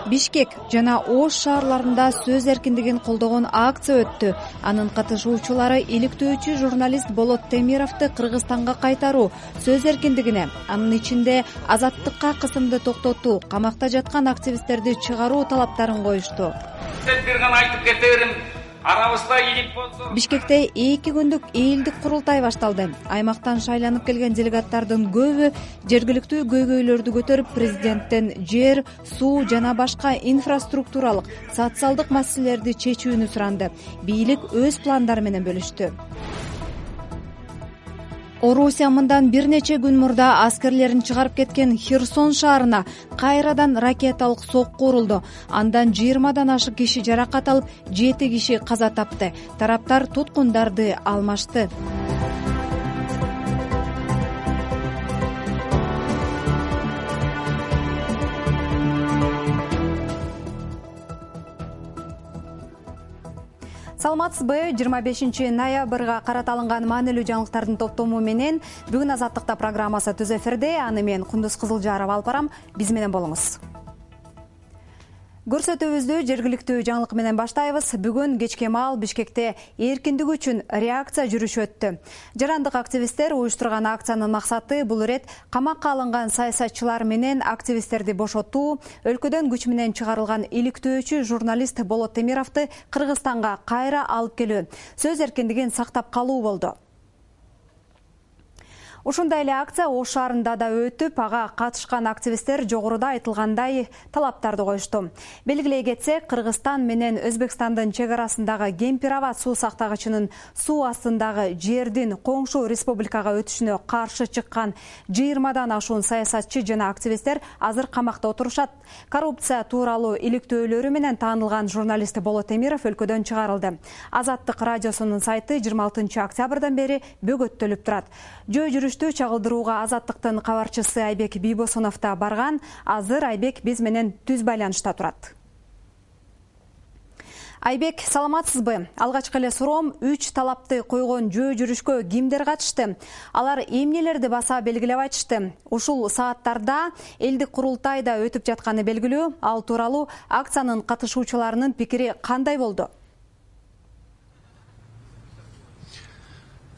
Бишкек жана Ош шаарларында сөз эркиндигин колдогон акция өттү. Анын катышуучулары иликтөөчү журналист Болот Темировду Кыргызстанга кайтаруу, сөз эркиндигине, анын ичинде азаттыкка кысымды токтотуу, камакта жаткан активисттерди чыгаруу талаптарын коюшту. Бир гана айтып кете берем. Арабызда ийгит болсо. Бишкекте 2 күндүк элдик курултай башталды. Аймактан шайланып келген делегаттардын көбү жергиликтүү көйгөйлөрдү көтөрүп, президенттен жер, суу жана башка инфраструктуралык, социалдык маселелерди чечүүнү суранды. Бийлик өз пландары менен бөлүштү. Орусия мындан бир нече күн мурда аскерлерин чыгарып кеткен Херсон шаарына кайрадан ракеталык сокку урулду. Андан 20дан ашык киши жаракат алып, 7 киши каза тапты. Тараптар туткундарды алмашты. Саламатсызбы? 25 ноябрга карата алынган маанилүү жаңылыктардын топтому менен бүгүн Азаттыкта программасы түз эфирде. Аны мен Кундуз Кызылжарова алып барам. Биз менен болуңуз. Көрсөтүүбүздү жергиликтүү жаңылык менен баштайбыз. Бүгүн кечке маал Бишкекте эркиндик үчүн реакция жүрүшү өттү. Жарандык активисттер уюштурган акциянын максаты бул ирет камакка алынган саясатчылар менен активисттерди бошотуу, өлкөдөн күч менен чыгарылган иликтөөчү журналист Болот Темировду Кыргызстанга кайра алып келүү, сөз эркиндигин сактап калуу болду. Ушундай эле акция Ош шаарында да өтүп, ага катышкан активисттер жогоруда айтылгандай талаптарды коюшту. Белгилей кетсек, Кыргызстан менен Өзбекстандын чек арасындагы Кемпир-аба суу сактагычынын суу астындагы жердин коңшу республикага өтүшүнө каршы чыккан 20дан ашуун саясатчы жана активисттер азыр камакта отурушат. Коррупция тууралуу иликтөөлөрү менен таанылган журналист Болот Темиров өлкөдөн чыгарылды. Азаттык радиосунун сайты 26 октябрдан бери бөгөттөлүп турат. Жүрүштү чагылдырууга Азаттыктын кабарчысы Айбек Бийбосунов да барган. Азыр Айбек биз менен түз байланышта турат. Айбек, саламатсызбы? Алгачкы эле суроом, 3 талапты койгон жүрүшкө кимдер катышты? Алар эмнелерди баса белгилеп айтышты? Ушул сааттарда элдик курултайда өтүп жатканы белгилүү. Ал тууралуу акциянын катышуучуларынын пикири кандай болду?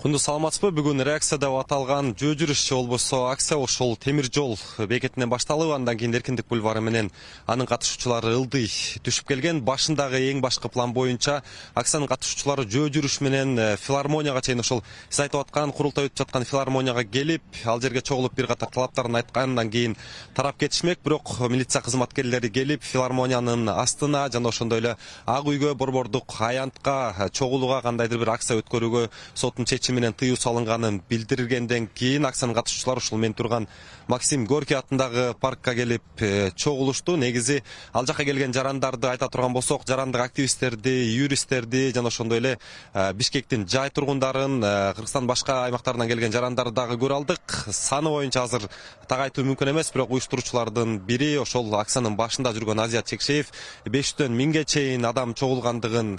Кундуз, саламатсызбы? Бүгүн реакция деп аталган жүрүш болбосо акция ошол темир жол бекетинен башталып, андан кийин Эркиндик бульвары менен анын катышуучулары ылдый түшүп келген. Башындагы эң башкы план боюнча акциянын катышуучулары жүрүш менен филармонияга чейин, ошол сиз айтып аткан курултай өтүп жаткан филармонияга келип, ал жерге чогулуп бир катар талаптарын айткандан кийин тарап кетишмек. Бирок милиция кызматкерлери келип, филармониянын астына жана ошондой эле Ак үйгө, Борбордук аянтка чогулууга, кандайдыр бир акция өткөрүүгө соттун менен тыюу салынганын билдиргенден кийин акциянын катышуучулары ушул мен турган Максим Горький атындагы паркка келип чогулушту. Негизи ал жака келген жарандарды айта турган болсок, жарандык активисттерди, юристтерди жана ошондой эле Бишкектин жай тургундарын, Кыргызстандын башка аймактарынан келген жарандарды дагы көрө алдык. Саны боюнча азыр так айтуу мүмкүн эмес, бирок уюштуруучулардын бири, ошол акциянын башында жүргөн Азият Чекшеев 500дөн 1000ге чейин адам чогулгандыгын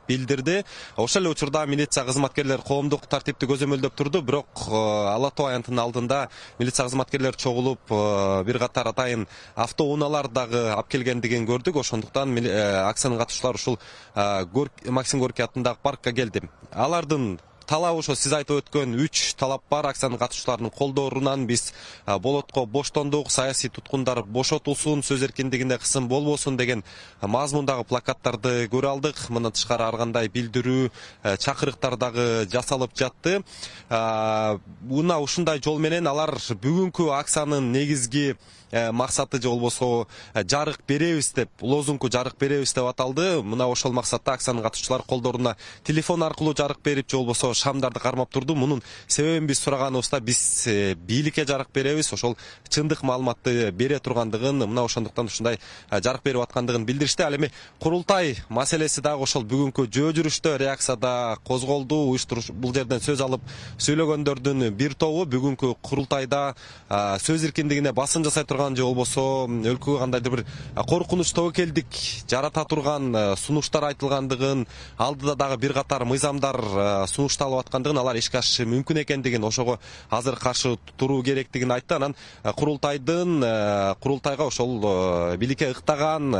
билдирди. Ошол эле учурда милиция кызматкерлери коомдук тартипти көзөмөлдөп турду, бирок Ала Тоо аянтынын алдында милиция кызматкерлери чогулуп, бир катар атайын автоунaalар дагы алып келгендигин көрдүк. Ошондуктан акциянын катышуучулары ушул Максим Горький атындагы паркка келди. Алардын талабы ошо сиз айтып өткөн 3 талап бар. Акциянын катышуучуларынын колдорунан биз Болотко боштондук, саясий туткундар бошотулсун, сөз эркиндигине кысым болбосун деген мазмундагы плакаттарды көрө алдык. Мындан тышкары ар кандай билдирүү, чакырыктар дагы жасалып жатты. Мына ушундай жол менен алар бүгүнкү акциянын негизги максаты же болбосо жарык беребиз деп, лозунгу жарык беребиз деп аталды. Мына ошол максатта акциянын катышуучулары колдоруна телефон аркылуу жарык берип, же болбосо шамдарды кармап турду. Мунун себебин биз сураганыбызда, биз бийликке жарык беребиз, ошол чындык маалыматты бере тургандыгын, мына ошондуктан ушундай жарык берип аткандыгын билдиришти. Ал эми курултай маселеси дагы ошол бүгүнкү жүрүштө реакцияда козголду. Уюштуруш бул жерден сөз алып сүйлөгөндөрдүн бир тобу бүгүнкү курултайда сөз эркиндигине басым жасай турган, же болбосо өлкөгө кандайдыр бир коркунуч тобокелдик жарата турган сунуштар айтылгандыгын, алдыда дагы бир катар мыйзамдар сунуштар башталып аткандыгын, алар ишке ашышы мүмкүн экендигин, ошого азыр каршы туруу керектигин айтты. Анан курултайга ошол бийликке ыктаган,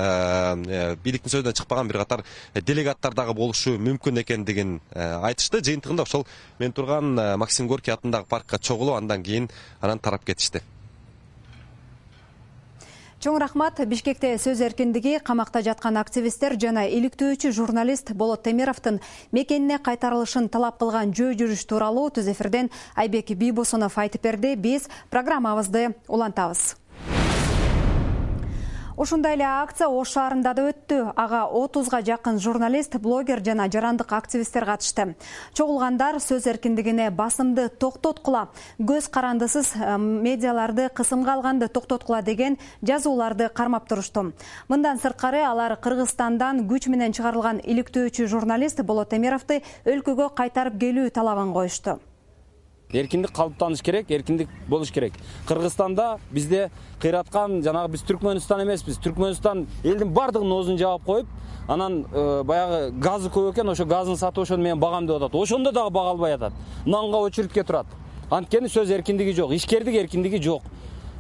бийликтин сөзүнөн чыкпаган бир катар делегаттар дагы болушу мүмкүн экендигин айтышты. Жыйынтыгында ошол мен турган Максим Горький атындагы паркка чогулуп, андан кийин анан тарап кетишти. Чоң рахмат. Бишкекте сөз эркиндиги, камакта жаткан активисттер жана иликтөөчү журналист Болот Темировдун мекенине кайтарылышын талап кылган жөө жүрүш тууралуу түз эфирден Айбек Бийбосунов айтып берди. Биз программабызды улантабыз. Ушундай эле акция Ош шаарында да өттү. Ага 30га жакын журналист, блогер жана жарандык активисттер катышты. Чогулгандар сөз эркиндигине басымды токтоткула, көз карандысыз медиаларды кысымга алганды токтоткула деген жазууларды кармап турушту. Мындан сырткары алар Кыргызстандан күч менен чыгарылган иликтөөчү журналист Болот Темировду өлкөгө кайтарып келүү талабын коюшту. Эркиндик калыптаныш керек, эркиндик болуш керек. Кыргызстанда бизде кыйраткан, жанагы биз Түркмөнстан эмеспиз. Түркмөнстан элдин бардыгынын оозун жаап коюп, анан баягы газы көп экен, ошо газын сатып ошону менен багам деп атат. Ошондо дагы бага албай атат. Нанга очередке турат. Анткени сөз эркиндиги жок, ишкердик эркиндиги жок.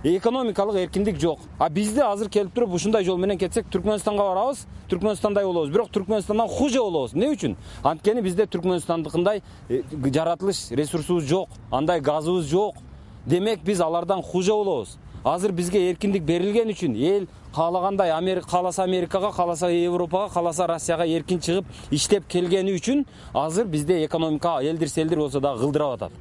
Экономикалык эркиндик жок. А бизде азыр келип туруп ушундай жол менен кетсек Түркмөнстанга барабыз, Түркмөнстандай болобуз. Бирок Түркмөнстандан хуже болобуз. Эмне үчүн? Анткени бизде Түркмөнстандыкындай жаратылыш ресурсубуз жок, андай газыбыз жок. Демек биз алардан хуже болобуз. Азыр бизге эркиндик берилген үчүн эл каалагандай кааласа Америкага, кааласа Европага, кааласа Россияга эркин чыгып иштеп келгени үчүн азыр бизде экономика элдир-селдир болсо дагы кылдырап атат.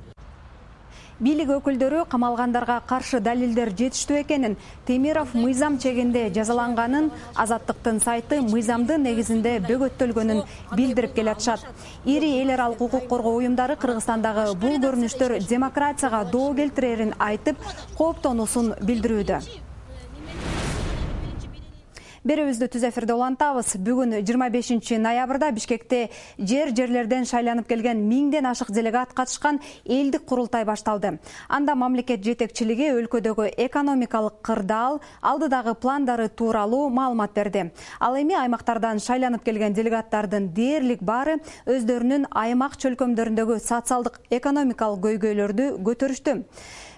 Бийлик өкүлдөрү камалгандарга каршы далилдер жетиштүү экенин, Темиров мыйзам чегинде жазаланганын, Азаттыктын сайты мыйзамдын негизинде бөгөттөлгөнүн билдирип келатышат. Ири эл аралык укук коргоо уюмдары Кыргызстандагы бул көрүнүштөр демократияга доо келтирерин айтып, кооптонуусун билдирүүдө. Берүүбүздү түз эфирде улантабыз. Бүгүн 25 ноябрда Бишкекте жерлерден шайланып келген 1000ден ашык делегат катышкан элдик курултай башталды. Анда мамлекет жетекчилиги өлкөдөгү экономикалык кырдаал, алдыдагы пландары тууралуу маалымат берди. Ал эми аймактардан шайланып келген делегаттардын дээрлик баары өздөрүнүн аймак чөлкөмдөрүндөгү социалдык экономикалык көйгөйлөрдү көтөрүштү.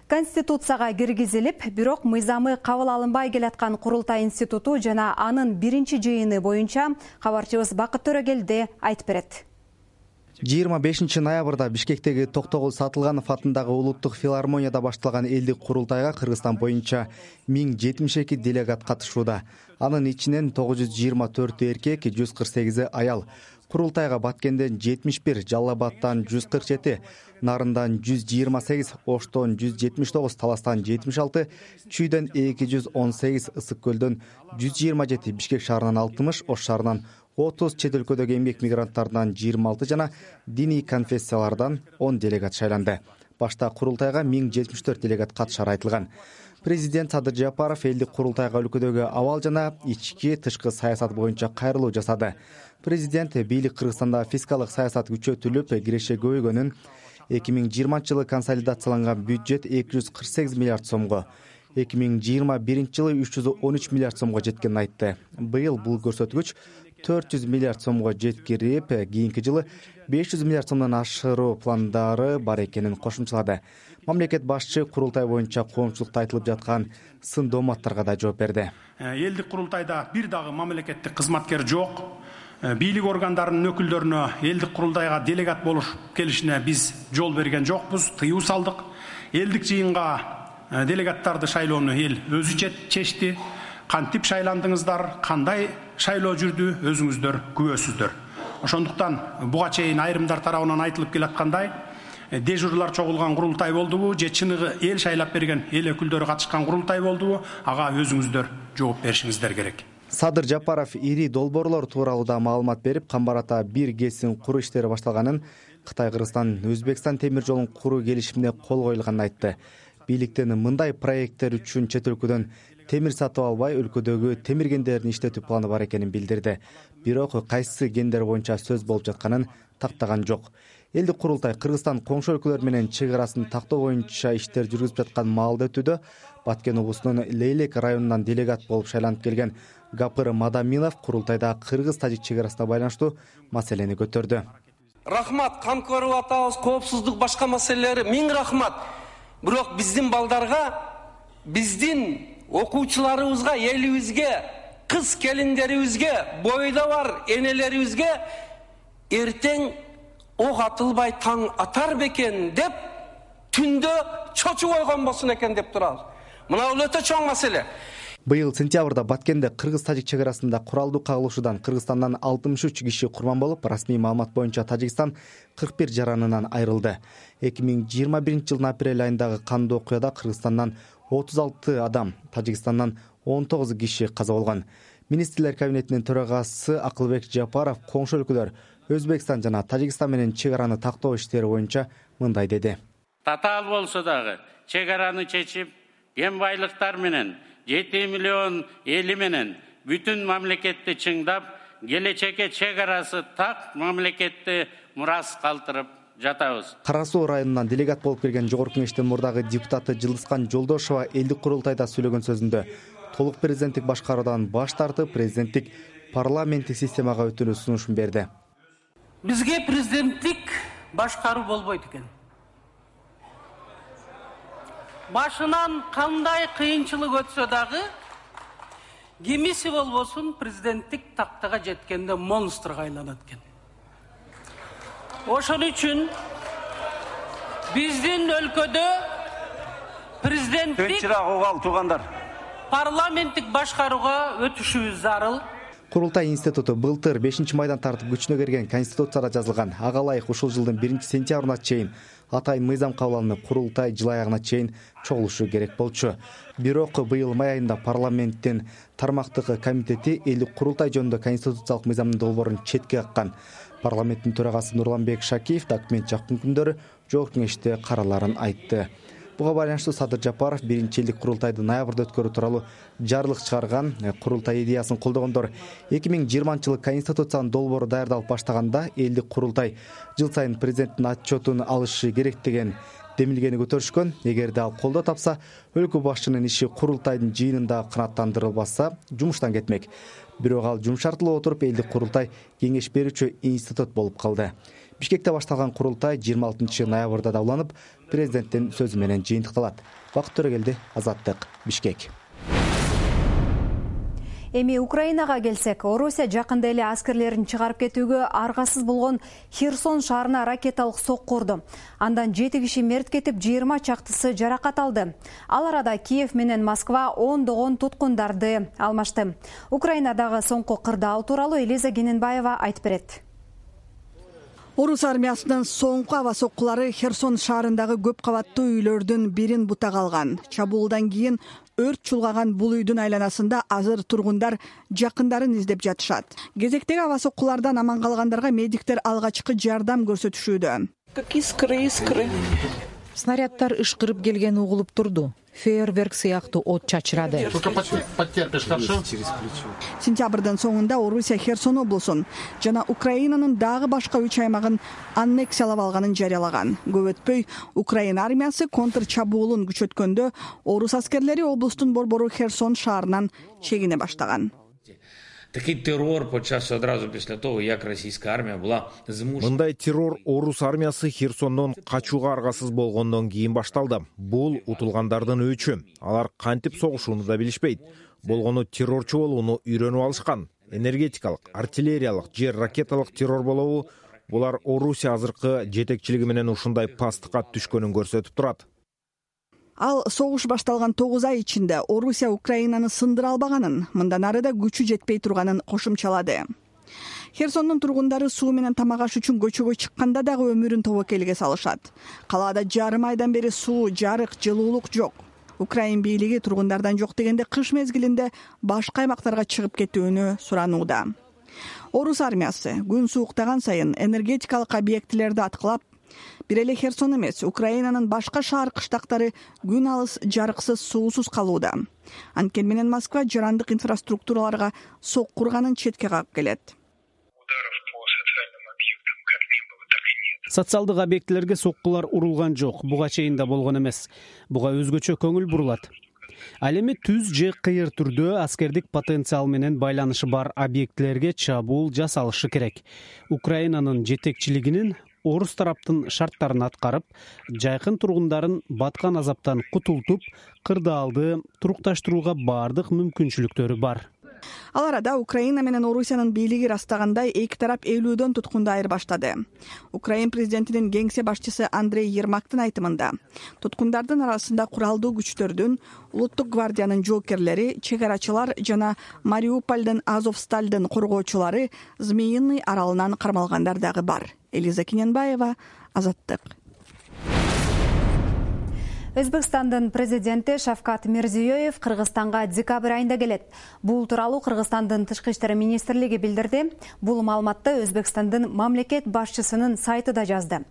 Конституцияга киргизилип, бирок мыйзамы кабыл алынбай келаткан Курултай институту жана анын биринчи жыйыны боюнча кабарчыбыз Бакыт Төрөгелди айтып берет. 25 ноябрда Бишкектеги Токтогул Сатылганов атындагы улуттук филармонияда башталган элдик курултайга Кыргызстан боюнча 1072 делегат катышууда. Анын ичинен 924 эркек, 148 аял. Курултайга Баткенден 71, Жалал Абадтан 147, Нарындан 128, Оштон 179, Таластан 76, Чүйдөн 218, Ысык көлдөн 127, Бишкек шаарынан 60, Ош шаарынан 30, чет өлкөдөгү эмгек мигранттарынан 26 жана диний конфессиялардан 10 делегат шайланды. Башта курултайга 1074 делегат катышары айтылган. Президент Садыр Жапаров элдик курултайга өлкөдөгү абал жана ички тышкы саясат боюнча кайрылуу жасады. Президент бийлик Кыргызстанда фискалдык саясат күчөтүлүп, киреше көбөйгөнүн, 2020 консолидацияланган бюджет 248 миллиард сомго, 2021 жылы 313 миллиард сомго жеткенин айтты. Быйыл бул көрсөткүч 400 миллиард сомго жеткирип, кийинки жылы 500 миллиард сомдон ашыруу пландары бар экенин кошумчалады. Мамлекет башчы курултай боюнча коомчулукта айтылып жаткан сын дооматтарга да жооп берди. Элдик курултайда бир дагы мамлекеттик кызматкер жок. Бийлик органдарынын өкүлдөрүнө элдик курултайга делегат болуп келишине биз жол берген жокпуз, тыюу салдык. Элдик жыйынга делегаттарды шайлоону эл өзү чечти. Кантип шайландыңыздар, кандай шайлоо жүрдү, өзүңүздөр күбөсүздөр. Ошондуктан буга чейин айрымдар тарабынан айтылып келаткандай, дежурлар чогулган курултай болдубу, же чыныгы эл шайлап берген эл өкүлдөрү катышкан курултай болдубу, ага өзүңүздөр жооп беришиңиздер керек. Садыр Жапаров ири долбоорлор тууралуу да маалымат берип, Камбарата бир КЭСин куруу иштери башталганын, Кытай, Кыргызстан, Өзбекстан темир жолун куруу келишимине кол коюлганын айтты. Бийликтен мындай проекттер үчүн чет өлкөдөн темир сатып албай, өлкөдөгү темир кендерин иштетүү планы бар экенин билдирди. Бирок кайсы кендер боюнча сөз болуп жатканын тактаган жок. Элдик курултай Кыргызстан коңшу өлкөлөр менен чек арасын тактоо боюнча иштер жүргүзүп жаткан маалда өтүүдө. Баткен облусунун Лейлек районунан делегат болуп шайланып келген Гапыр Мадаминов курултайда кыргыз-тажик чек арасына байланыштуу маселени көтөрдү. рахмат, камкөрүп атабыз, коопсуздук башка маселелери, миң рахмат. Бирок биздин балдарга, биздин окуучуларыбызга, элибизге, кыз келиндерибизге, бойдо бар энелерибизге эртең ок атылбай таң атар бекен деп түндө чочуп койгон болсун экен деп турабыз. Мына бул өтө чоң маселе. Быйыл сентябрда Баткенде кыргыз-тажик чек арасында куралдуу кагылышуудан Кыргызстандан 63 киши курман болуп, расмий маалымат боюнча Тажикстан 41 жаранынан айрылды. 2021 жылдын апрель айындагы кандуу окуяда Кыргызстандан 36 адам, Тажикстандан 19 киши каза болгон. Министрлер кабинетинин төрагасы Акылбек Жапаров коңшу өлкөлөр Өзбекстан жана Тажикстан менен чек араны тактоо иштери боюнча мындай деди. Татаал болсо дагы чек араны чечип, кен байлыктар менен 7 миллион эли менен бүтүн мамлекетти чыңдап, келечекке чек арасы так мамлекетти мурас калтырып жатабыз. Кара Суу районунан делегат болуп келген Жогорку Кеңештин мурдагы депутаты Жылдыскан Жолдошова элдик курултайда сүйлөгөн сөзүндө толук президенттик башкаруудан баш тартып, президенттик парламенттик системага өтүүнү сунушун берди. Бизге президенттик башкаруу болбойт экен. Башынан кандай кыйынчылык өтсө дагы, кимиси болбосун президенттик тактага жеткенде монстрга айланат экен. Ошон үчүн биздин өлкөдө президенттик парламенттик башкарууга өтүшүбүз зарыл. Курултай институту былтыр 5 майдан тартып күчүнө кирген Конституцияда жазылган ага ылайык ушул жылдын 1 сентябрына чейин атайын мыйзам кабыл алынып, курултай жыл аягына чейин чогулушу керек болчу. Бирок быйыл май айында парламенттин тармактык комитети элдик курултай жөнүндө конституциялык мыйзамдын долбоорун четке каккан. Парламенттин төрагасы Нурланбек Шакиев документ жакын күндөрү Жогорку Кеңеште караларын айтты. Буга байланыштуу Садыр Жапаров 1-элдик курултайды ноябрда өткөрүү тууралуу жарлык чыгарган. Курултай идеясын колдогондор 2020-жылы конституциянын долбоору даярдалып баштаганда элдик курултай жыл сайын президенттин отчетун алышы керек деген демилгени көтөрүшкөн. Эгерде ал колдоо тапса, өлкө башчынын иши курултайдын жыйынында канааттандырылбаса, жумуштан кетмек. Бирок ал жумшартылып отуруп, элдик курултай кеңеш берүүчү институт болуп калды. Бишкекте башталган курултай 26 ноябрда да уланып, президенттин сөзү менен жыйынтыкталат. Бакыт Төрөгелди, Азаттык, Бишкек. Эми Украинага келсек, Орусия жакында эле аскерлерин чыгарып кетүүгө аргасыз болгон Херсон шаарына ракеталык сокку урду. Андан 7 киши мерт кетип, 20 чактысы жаракат алды. Ал арада Киев менен Москва ондогон туткундарды алмашты. Украинадагы соңку кырдаал тууралуу Элиза Гененбаева айтып берет. Орус армиясынын соңку аба соккулары Херсон шаарындагы көп кабаттуу үйлөрдүн бирин бутага алган. Чабуулдан кийин өрт чулгаган бул үйдүн айланасында азыр тургундар жакындарын издеп жатышат. Кезектеги аба соккулардан аман калгандарга медиктер алгачкы жардам көрсөтүшүүдө. Искры. Снаряддар ышкырып келген угулуп турду. Фейерверк сыяктуу от чачырады. Сентябрдын соңунда Орусия Херсон облусун жана Украинанын дагы башка 3 аймагын аннексиялап алганын жарыялаган. Көп өтпөй Украина армиясы контр чабуулун күчөткөндө орус аскерлери облустун борбору Херсон шаарынан чегине баштаган. Такий террор почався одразу після того, як російська армія була змушена. Мындай террор орус армиясы Херсондон качууга аргасыз болгондон кийин башталды. Бул утулгандардын өчү. Алар кантип согушууну да билишпейт. Болгону террорчу болууну үйрөнүп алышкан. Энергетикалык, артиллериялык, жер ракеталык террор болобу? Булар Орусия азыркы жетекчилиги менен ушундай пастыкка түшкөнүн көрсөтүп турат. Ал согуш башталган 9 ай ичинде Орусия Украинаны сындыра албаганын, мындан ары да күчү жетпей турганын кошумчалады. Херсондун тургундары суу менен тамак аш үчүн көчөгө чыкканда дагы өмүрүн тобокелге салышат. Калаада жарым айдан бери суу, жарык, жылуулук жок. Украин бийлиги тургундардан жок дегенде кыш мезгилинде башка аймактарга чыгып кетүүнү суранууда. Орус армиясы күн сууктаган сайын энергетикалык объектилерди аткылап, бир эле Херсон эмес, Украинанын башка шаар кыштактары күн алыс жарыксыз, суусуз калууда. Анткени менен Москва жарандык инфраструктураларга сокку урганын четке кагып келет. Социалдык объектилерге соккулар урулган жок, буга чейин да болгон эмес. Буга өзгөчө көңүл бурулат. Ал эми түз же кыйыр түрдө аскердик потенциал менен байланышы бар объектилерге чабуул жасалышы керек. Украинанын жетекчилигинин орус тараптын шарттарын аткарып, жайкын тургундарын баткан азаптан кутултуп, кырдаалды турукташтырууга баардык мүмкүнчүлүктөрү бар. Ал арада Украина менен Орусиянын бийлиги ырастагандай эки тарап 50дөн туткунду айырбаштады. Украин президентинин кеңсе башчысы Андрей Ермактын айтымында, туткундардын арасында куралдуу күчтөрдүн, улуттук гвардиянын жоокерлери, чегарачылар жана Мариупольдун Азовсталдын коргоочулары Змеиный аралынан кармалгандар дагы бар. Элиза Киненбаева, Азаттык. Өзбекстандын президенти Шавкат Мирзиёев Кыргызстанга декабрь айында келет. Бул тууралуу Кыргызстандын тышкы иштер министрлиги билдирди. Бул маалыматты Өзбекстандын мамлекет башчысынын сайты да жазды.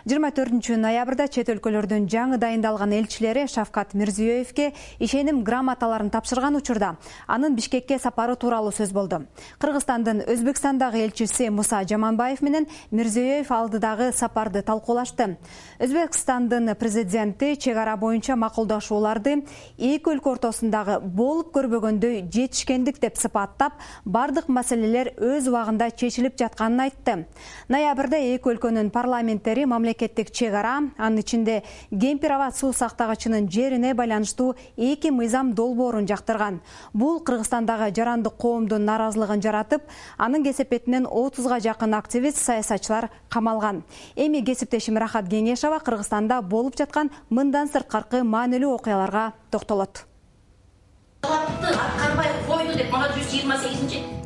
24 ноябрда чет өлкөлөрдүн жаңы дайындалган элчилери Шавкат Мирзиёевке ишеним грамоталарын тапшырган учурда анын Бишкекке сапары тууралуу сөз болду. Кыргызстандын Өзбекстандагы элчиси Муса Жаманбаев менен Мирзиёев алдыдагы сапарды талкуулашты. Өзбекстандын президенти чегара боюнча макулдашууларды эки өлкө ортосундагы болуп көрбөгөндөй жетишкендик деп сыпаттап, бардык маселелер өз убагында чечилип жатканын айтты. Ноябрда эки өлкөнүн парламенттери мамлекеттик чегара, анын ичинде Кемпир-Аба суу сактагычынын жерине байланыштуу эки мыйзам долбоорун жактырган. Бул Кыргызстандагы жарандык коомдун наразылыгын жаратып, анын кесепетинен 30га жакын активист, саясатчылар камалган. Эми кесиптешим Рахат Кеңешова Кыргызстанда болуп жаткан мындан сырткаркы маанилүү окуяларга токтолот.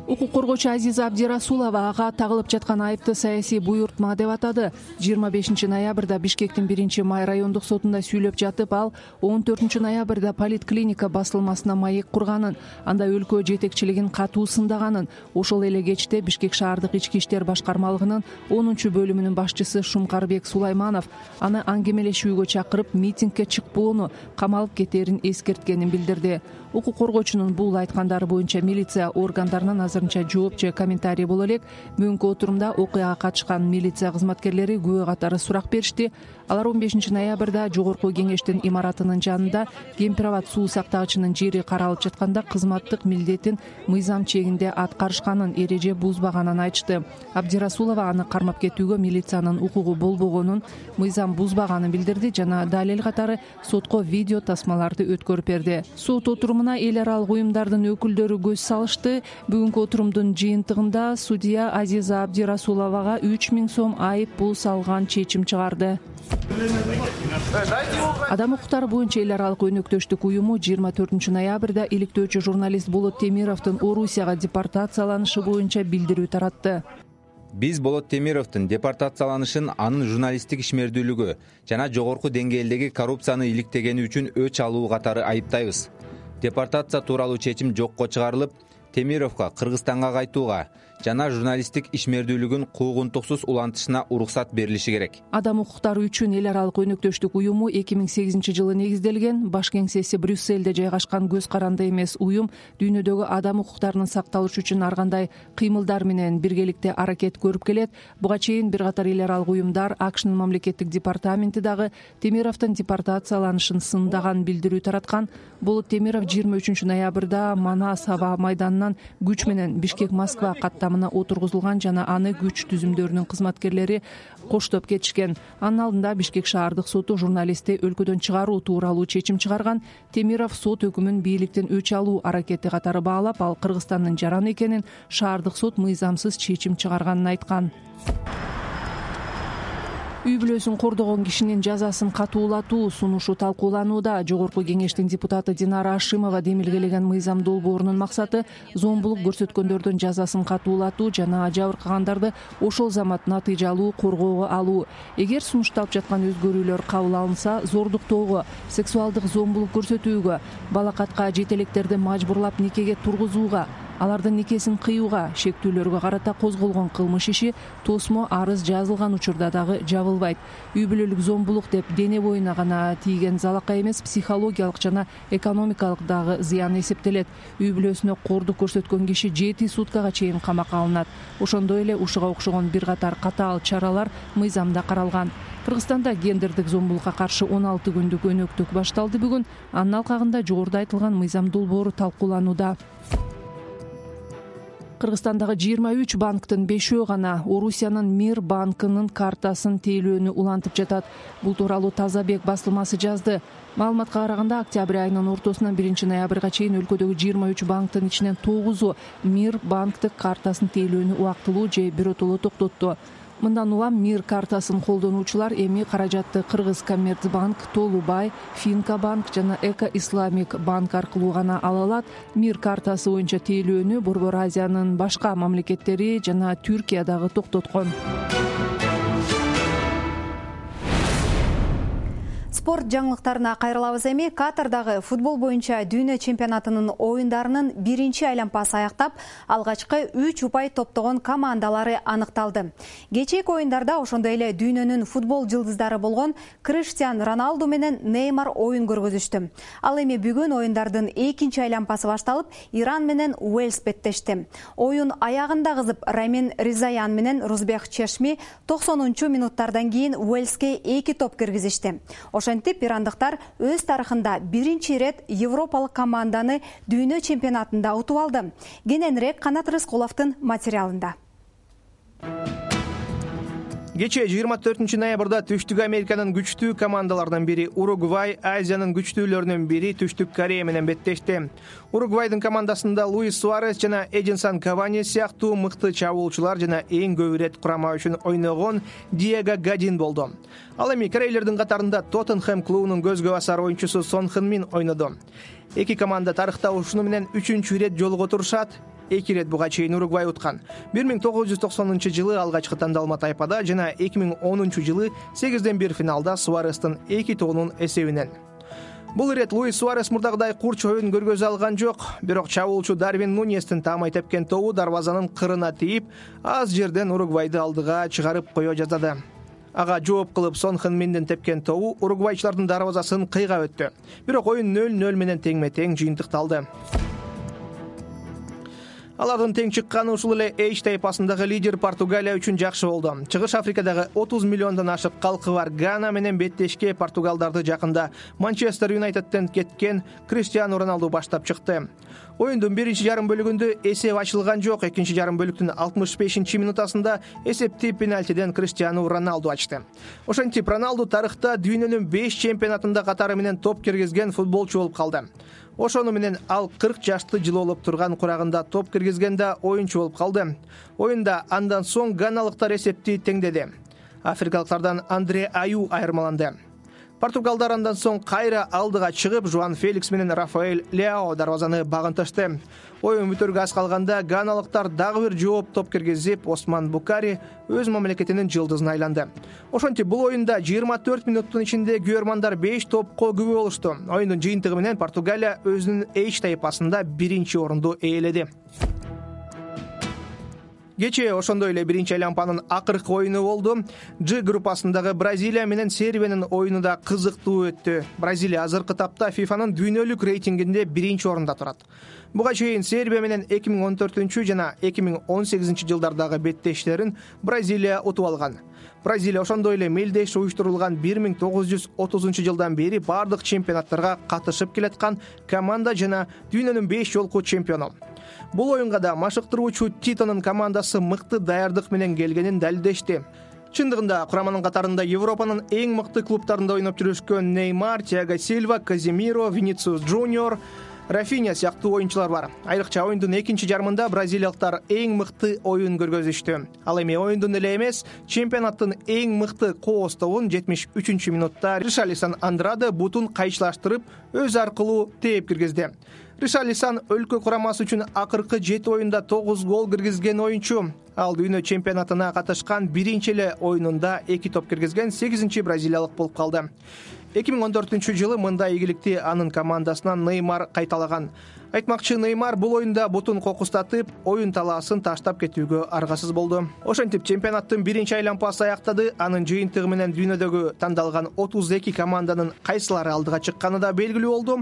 Укук коргоочу Азиза Абдирасулова ага тагылып жаткан айыпты саясий буйртма деп атады. 25 ноябрда Бишкектин 1-май райондук сотунда сүйлөп жатып, ал 14 ноябрда Политклиника басылмасына маек курганын, анда өлкө жетекчилигин катуу сындаганын, ошол эле кечте Бишкек шаардык ички иштер башкармалыгынын 10-бөлүмүнүн башчысы Шумкарбек Сулайманов аны аңгемелешүүгө чакырып, митингге чыкпоону, камалып кетерин эскерткенин билдирди. Укук коргоочунун бул айткандары боюнча милиция органдарынан азырынча жооп же комментарий боло элек. Бүгүнкү отурумда окуяга катышкан милиция кызматкерлери күбө катары сурак беришти. Алар 15 ноябрда жогорку кеңештин имаратынын жанында Кемпир-Аба суу сактагычынын жери каралып жатканда кызматтык милдетин мыйзам чегинде аткарышканын, эреже бузбаганын айтышты. Абдирасулова аны кармап кетүүгө милициянын укугу болбогонун, мыйзам бузбаганын билдирди жана далил катары сотко видео тасмаларды өткөрүп берди. Сот отурумуна эл аралык уюмдардын өкүлдөрү көз салышты. Бүгүнкү отурумдун жыйынтыгында судья Азиза Абдирасуловага 3000 сом айып пул салган чечим чыгарды. Адам укуктары боюнча эл аралык өнөктөштүк уюму 24 ноябрда иликтөөчү журналист Болот Темировдун Орусияга депортацияланышы боюнча билдирүү таратты. Биз Болот Темировдун депортацияланышын анын журналисттик ишмердүүлүгү жана жогорку деңгээлдеги коррупцияны иликтегени үчүн өч алуу катары айыптайбыз. Депортация тууралуу чечим жокко чыгарылып, Темировго Кыргызстанга кайтууга жана журналисттик ишмердүүлүгүн куугунтуксуз улантышына уруксат берилиши керек. Адам укуктары үчүн эл аралык өнөктөштүк уюму 2008 жылы негизделген. Баш кеңсеси Брюссельде жайгашкан көз каранды эмес уюм дүйнөдөгү адам укуктарынын сакталышы үчүн ар кандай кыймылдар менен биргеликте аракет көрүп келет. Буга чейин бир катар эл аралык уюмдар, АКШнын мамлекеттик департаменти дагы Темировдун депортацияланышын сындаган билдирүү тараткан. Болот Темиров 23 ноябрда Манас аба майданынан күч менен Бишкек-Москва каттамына отургузулган жана аны күч түзүмдөрүнүн кызматкерлери коштоп кетишкен. Анын алдында Бишкек шаардык соту журналистти өлкөдөн чыгаруу тууралуу чечим чыгарган. Темиров сот өкүмүн бийликтен өч алуу аракети катары баалап, ал Кыргызстандын жараны экенин, шаардык сот мыйзамсыз чечим чыгарганын айткан. Үй бүлөсүн кордогон кишинин жазасын катуулатуу сунушу талкууланууда. Жогорку кеңештин депутаты Динара Ашимова демилгелеген мыйзам долбоорунун максаты зомбулук көрсөткөндөрдүн жазасын катуулатуу жана жабыркагандарды ошол замат натыйжалуу коргоого алуу. Эгер сунушталып жаткан өзгөрүүлөр кабыл алынса, зордуктоого, сексуалдык зомбулук көрсөтүүгө, балакатка жетелектерди мажбурлап никеге тургузууга, алардын никесин кыюуга, шектүүлөргө карата козголгон кылмыш иши тосмо арыз жазылган учурда дагы жабылбайт. Үй бүлөлүк зомбулук деп дене боюна гана тийген залакай эмес, психологиялык жана экономикалык дагы зыян эсептелет. Үй бүлөсүнө коордук көрсөткөн киши 7 суткага чейин камакка алынат. Ошондой эле ушуга окшогон бир катар катаал чаралар мыйзамда каралган. Кыргызстанда гендердик зомбулукка каршы 16 күндүк өнөктүк башталды бүгүн. Анын алкагында жогоруда айтылган мыйзам долбоору талкууланууда. Кыргызстандагы 23 банктын 5-өө гана Орусиянын Мир банкынын картасын тейлөөнү улантып жатат. Бул тууралуу Тазабек басылмасы жазды. Маалыматка караганда, октябрь айынын ортосунан 1 ноябрга чейин өлкөдөгү 23 банктын ичинен 9-у Мир банктык картасын тейлөөнү убактылуу же биротоло токтотту. Мындан улам Мир картасын колдонуучулар эми каражатты Кыргызкоммерцбанк, Толубай, Финкабанк жана Эко Исламик банк аркылуу гана ала алат. Мир картасы боюнча тейлөөнү Борбор Азиянын башка мамлекеттери жана Түркия дагы токтоткон. Спорт жаңылыктарына кайрылабыз эми. Катардагы футбол боюнча дүйнө чемпионатынын оюндарынын 1-айланпасы аяктап, алгачкы 3 упай топтогон командалары аныкталды. Кечээки оюндарда ошондой эле дүйнөнүн футбол жылдыздары болгон Криштиан Роналду менен Неймар оюн көргөзүштү. Ал эми бүгүн оюндардын 2-айланпасы башталып, Иран менен Уэльс беттешти. Оюн аягында кызып, Рамин Ризаян менен Рузбек Чешми 90-минуттардан кийин Уэльске 2 топ киргизишти. Ошентип, ирандыктар өз тарыхында 1-рет европалык команданы дүйнө чемпионатында утуп алды. Кененирээк Канат Рыскуловдун материалында. Кечээ 24 ноябрда Түштүк Американын күчтүү командаларынан бири Уругвай, Азиянын күчтүүлөрүнүн бири Түштүк Корея менен беттешти. Уругвайдын командасында Луис Суарес жана Эдинсон Кавани сыяктуу мыкты чабуулчулар жана эң көп ирет курама үчүн ойногон Диего Годин болду. Ал эми корейлердин катарында Тоттенхэм клубунун көзгө басар оюнчусу Сон Хэн Мин ойноду. Эки команда тарыхта ушуну менен 3-чү ирет жолугу турушат. 2 ирет буга чейин Уругвай уткан. 1990-жылы алгачкы тандалма тайпада жана 2010-жылы 8-1 финалда Суарестин 2 тоонун эсебинен. Бул ирет Луис Суарес мурдагыдай курч оюн көргөзө алган жок, бирок чабуулчу Дарвин Нуньестин таамай тепкен тобу дарбазанын кырына тийип, аз жерден Уругвайды алдыга чыгарып кое жаздады. Ага жооп кылып Сон Хэн Миндин тепкен тобу уругвайчылардын дарбазасын кыйга өттү. Бирок оюн 0-0 менен теңме-тең жыйынтыкталды. Алардын тең чыкканы ушул эле H тайпасындагы лидер Португалия үчүн жакшы болду. Чыгыш Африкадагы 30 миллиондон ашык калкы бар Гана менен беттешке португалдарды жакында Манчестер Юнайтедден кеткен Криштиану Роналду баштап чыкты. Оюндун биринчи жарым бөлүгүндө эсеп ачылган жок. Экинчи жарым бөлүктүн 65-минутасында эсепти пенальтиден Криштиану Роналду ачты. Ошентип Роналду тарыхта дүйнөнүн 5 чемпионатында катары менен топ киргизген футболчу болуп калды. Ошону менен ал 40 жашты жылоолоп турган курагында топ киргизгенде оюнчу болуп калды. Оюнда андан соң ганалыктар эсепти теңдеди. Африкалыктардан Андре Аю айырмаланды. Португалдар андан соң кайра алдыга чыгып, Жуан Феликс менен Рафаэль Леао дарбазаны багынтышты. Оюн бүтөргө аз калганда ганалыктар дагы бир жооп топ киргизип, Осман Букари өз мамлекетинин жылдызына айланды. Ошентип бул оюнда 24 минуттун ичинде күйөрмандар 5 топко күбө болушту. Оюндун жыйынтыгы менен Португалия өзүнүн H тайпасында 1-орунду ээледи. Кечээ ошондой эле 1-айланпанын акыркы оюну болду. G группасындагы Бразилия менен Сербиянын оюну да кызыктуу өттү. Бразилия азыркы тапта ФИФАнын дүйнөлүк рейтингинде 1-орунда турат. Буга чейин Сербия менен 2014 жана 2018 жылдардагы беттештерин Бразилия утуп алган. Бразилия ошондой эле мелдеш уюштурулган 1930 жылдан бери бардык чемпионаттарга катышып келаткан команда жана дүйнөнүн 5 жолку чемпиону. Бул оюнга да машыктыруучу Титонун командасы мыкты даярдык менен келгенин далилдешти. Чындыгында кураманын катарында Европанын эң мыкты клубтарында ойноп жүрүшкөн Неймар, Тиаго Сильва, Казимиро, Винисиус Джуниор, Рафиня сыяктуу оюнчулар бар. Айрыкча оюндун экинчи жарымында бразилиялыктар эң мыкты оюн көргөзүштү. Ал эми оюндун эле эмес, чемпионаттын эң мыкты коостогун 73-минутта Ришарлисон Андраде бутун кайчылаштырып, өз аркылуу тээп киргизди. Ришарлисон өлкө курамасы үчүн акыркы 7 оюнда 9 гол киргизген оюнчу. Ал дүйнө чемпионатына катышкан биринчи эле оюнунда 2 топ киргизген 8-чи бразилиялык болуп калды. 2014-жылы мындай ийгиликти анын командасынан Неймар кайталаган. Айтмакчы, Неймар бул оюнда бутун кокустатып, оюн талаасын таштап кетүүгө аргасыз болду. Ошентип чемпионаттын биринчи айланпасы аяктады. Анын жыйынтыгы менен дүйнөдөгү тандалган 32 команданын кайсылары алдыга чыкканы да белгилүү болду.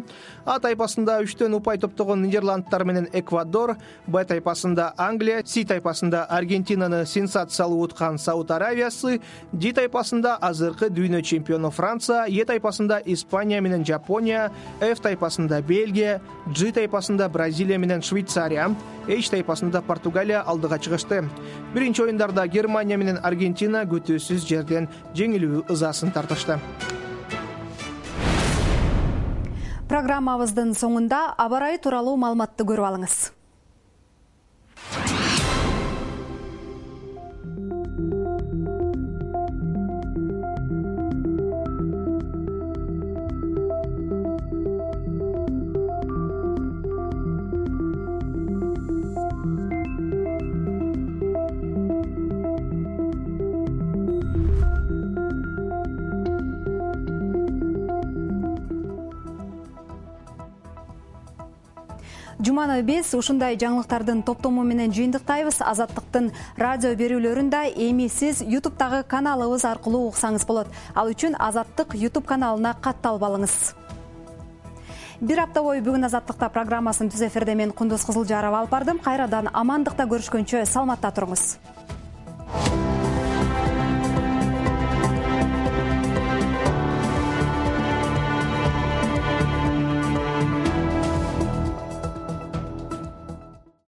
А тайпасында 3төн упай топтогон Нидерландтар менен Эквадор, Б тайпасында Англия, С тайпасында Аргентинаны сенсациялуу уткан Сауд Аравиясы, Д тайпасында азыркы дүйнө чемпиону Франция, Е тайпасында Испания менен Жапония, Ф тайпасында Бельгия, Ж тайпасында Бразилия менен Швейцария, H тайпасында Португалия алдыга чыгышты. Биринчи оюндарда Германия менен Аргентина күтүүсүз жерден жеңилүү ызасын тартышты. Программабыздын соңунда аба ырайы тууралуу маалыматты көрүп алыңыз. Жуманы биз ушундай жаңылыктардын топтому менен жыйынтыктайбыз. Азаттыктын радио берүүлөрүн да эми сиз YouTube'дагы каналыбыз аркылуу уксаңыз болот. Ал үчүн Азаттык YouTube каналына катталып алыңыз. Бир апта бою бүгүн Азаттыкта программасын түз эфирде мен Кундуз Кызылжарова алып бардым. Кайрадан амандыкта көрүшкөнчө саламатта туруңуз.